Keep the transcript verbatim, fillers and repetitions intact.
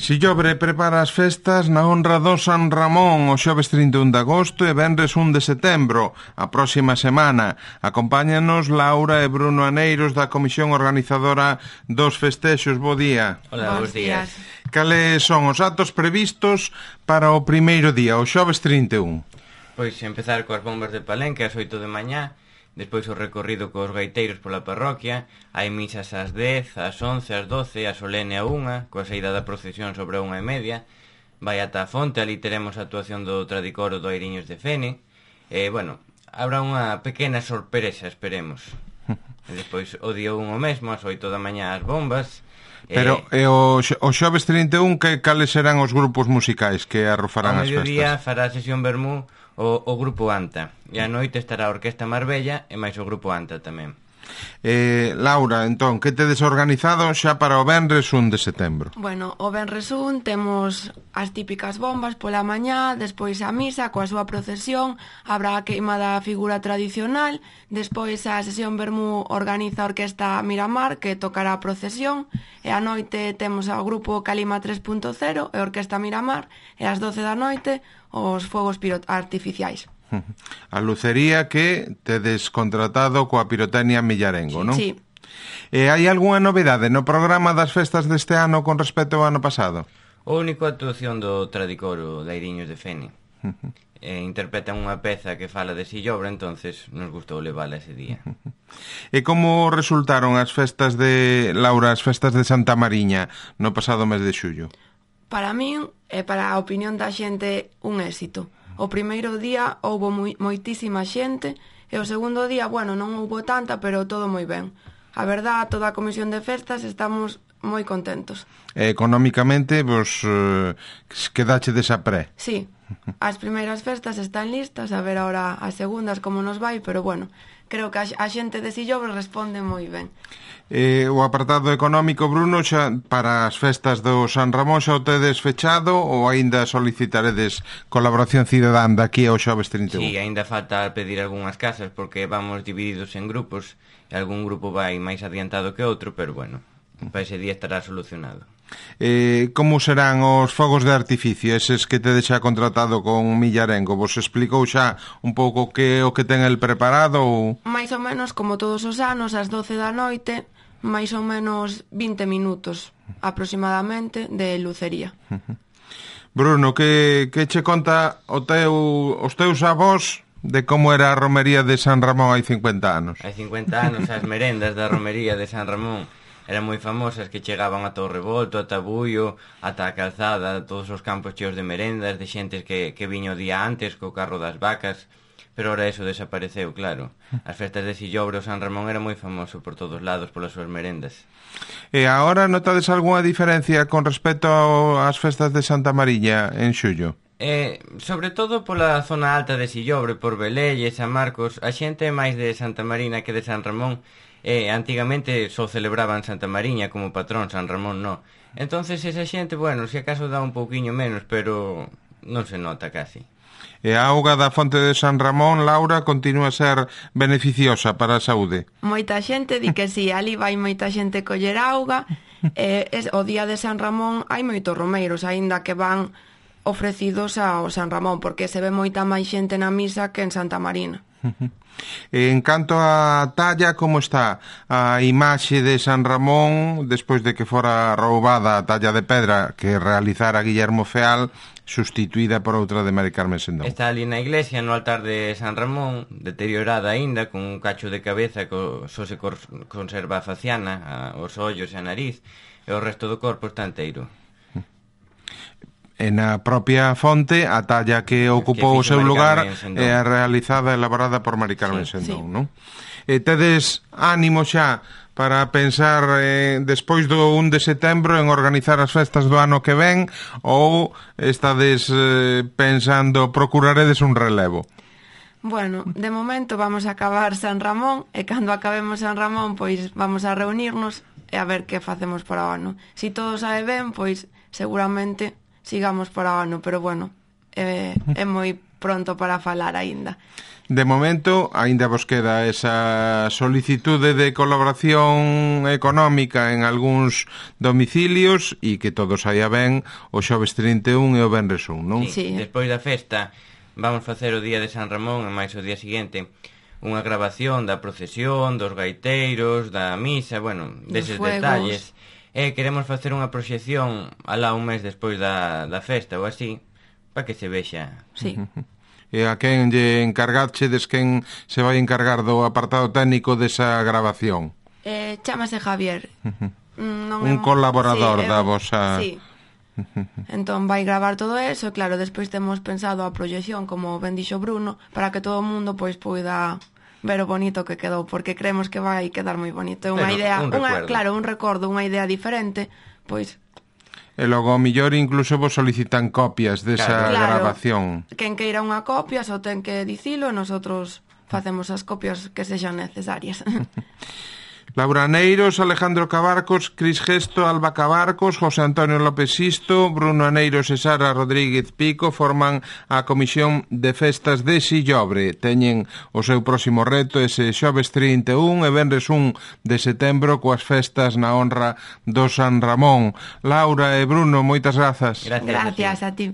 Sillobre prepara as festas na honra do San Ramón o xoves trinta e un de agosto e venres un de setembro, a próxima semana. Acompáñanos Laura e Bruno Aneiros da Comisión Organizadora dos Festexos. Bo día. Hola, bons días. Cales son os atos previstos para o primeiro día, o xoves trinta e un? Pois empezar coas bombas de Palenque ás oito de mañá, despois o recorrido cos gaiteiros pola parroquia, hai misas ás dez, ás once, ás doce, a solene a unha, coa saída da procesión sobre a unha e media, vai ata a fonte, ali teremos a actuación do Tradicoro do Airiños de Fene, e, bueno, habrá unha pequena sorpresa, esperemos. E despois o día un o mesmo, ás oito da mañá as bombas. Pero e, e o, o xoves trinta e un, que cales serán os grupos musicais que arrofarán as festas? Ao mediodía fará a sesión Bermú o, o grupo Anta, e a noite estará a Orquesta Marbella e máis o grupo Anta tamén. Eh, Laura, entón, que tedes organizado xa para o venres un de setembro? Bueno, o venres un temos as típicas bombas pola mañá, despois a misa coa súa procesión, habrá a queima da figura tradicional, despois a sesión Bermú organiza a Orquesta Miramar, que tocará a procesión, e a noite temos ao grupo Calima tres punto cero e a Orquesta Miramar, e ás doce da noite os fogos artificiais. A lucería que tedes contratado coa Pirotecnia Millarengo, non? Sí. E hai algunha novedade no programa das festas deste ano con respecto ao ano pasado? O único actuación do Tradicoro de Airiños de Fene. E interpretan unha peza que fala de Sillobre, entonces nos gustou levala ese día. E como resultaron as festas de Laura, as festas de Santa Mariña no pasado mes de xullo? Para min e para a opinión da xente un éxito. O primeiro día houbo moi, moitísima xente e o segundo día, bueno, non houbo tanta, pero todo moi ben. A verdad, toda a comisión de festas estamos moi contentos. E económicamente, vos eh, quedache desa pré? Sí, as primeiras festas están listas, a ver ahora as segundas como nos vai, pero bueno, creo que a, a xente de Sillobre responde moi ben. Eh, o apartado económico, Bruno, xa para as festas do San Ramón xa o tedes fechado ou aínda solicitaredes colaboración cidadán daqui ao xoves trinta e un? Sí, aínda falta pedir algunhas casas porque vamos divididos en grupos e algún grupo vai máis adiantado que outro, pero bueno, para ese día estará solucionado. Eh, como serán os fogos de artificio, eses que tedes xa contratado con Millarengo? Vos explicou xa un pouco que o que ten el preparado? Ou... Mais ou menos como todos os anos, ás doce da noite, máis ou menos vinte minutos aproximadamente de lucería. Bruno, que, que che conta o teu, os teus avós de como era a romería de San Ramón hai cincuenta anos? Hai cincuenta anos, as merendas da romería de San Ramón eran moi famosas, que chegaban ata o Revolto, ata Bullo, ata a Calzada, todos os campos cheos de merendas, de xentes que, que viño o día antes co carro das vacas, pero ora eso desapareceu, claro. As festas de Sillobre o San Ramón era moi famoso por todos lados polas súas merendas. E agora notades algunha diferencia con respecto ás festas de Santa Mariña en xullo? Eh, sobre todo pola zona alta de Sillobre, por Velelle, San Marcos, a xente é máis de Santa Marina que de San Ramón. Eh, antigamente só celebraban Santa Mariña como patrón, San Ramón no. Entonces esa xente, bueno, se acaso dá un pouquiño menos, pero non se nota casi. E a auga da fonte de San Ramón, Laura, continúa a ser beneficiosa para a saúde? Moita xente di que si, sí, ali vai moita xente coller auga, e es, o día de San Ramón hai moitos romeiros, aínda que van ofrecidos ao San Ramón, porque se ve moita máis xente na misa que en Santa Marina. En canto a talla, como está a imaxe de San Ramón despois de que fora roubada a talla de pedra que realizara Guillermo Feal, sustituída por outra de Mari Carmen Sendón? Está ali na iglesia, no altar de San Ramón, deteriorada aínda, con un cacho de cabeza que só se conserva a faciana, os ollos e a nariz, e o resto do corpo está enteiro. E na propia fonte a talla que ocupou o seu lugar é realizada e elaborada por Mari Carmen sí, Sendón, sí. non? E tedes ánimo xa para pensar eh, despois do un de setembro en organizar as festas do ano que ven, ou estades eh, pensando, procuraredes un relevo? Bueno, de momento vamos a acabar San Ramón, e cando acabemos San Ramón pois vamos a reunirnos e a ver que facemos para o ano. Si todo sae ben, pois seguramente sigamos para o ano, pero bueno, é, é moi pronto para falar aínda. De momento, aínda vos queda esa solicitude de colaboración económica en algúns domicilios e que todo saia ben o xoves trinta e un e o venres un, non? Sí, sí. Despois da festa vamos facer o día de San Ramón e máis o día seguinte unha grabación da procesión, dos gaiteiros, da misa, bueno, deses detalles. E queremos facer unha proxección alá un mes despois da, da festa ou así, para que se vexa. Sí. E a quen lle encargachedes, quen se vai encargar do apartado técnico desa grabación? Eh, chámase Javier. Non un é... colaborador sí, da vosa... Sí. Entón vai gravar todo eso e claro, despois temos pensado a proyección, como ben dixo Bruno, para que todo o mundo pois poida ver o bonito que quedou, porque creemos que vai quedar moi bonito. É unha idea, un unha, claro, un recordo, unha idea diferente, pois... E logo, ao millor, incluso vos solicitan copias desa claro, grabación. Quen queira unha copia só ten que dicilo e nosotros facemos as copias que sexan necesarias. Laura Aneiros, Alejandro Cabarcos, Cris Gesto, Alba Cabarcos, José Antonio López Sisto, Bruno Aneiros e Sara Rodríguez Pico forman a Comisión de Festas de Sillobre. Teñen o seu próximo reto ese xoves trinta e un e venres un de setembro coas festas na honra do San Ramón. Laura e Bruno, moitas grazas. Gracias, gracias a ti.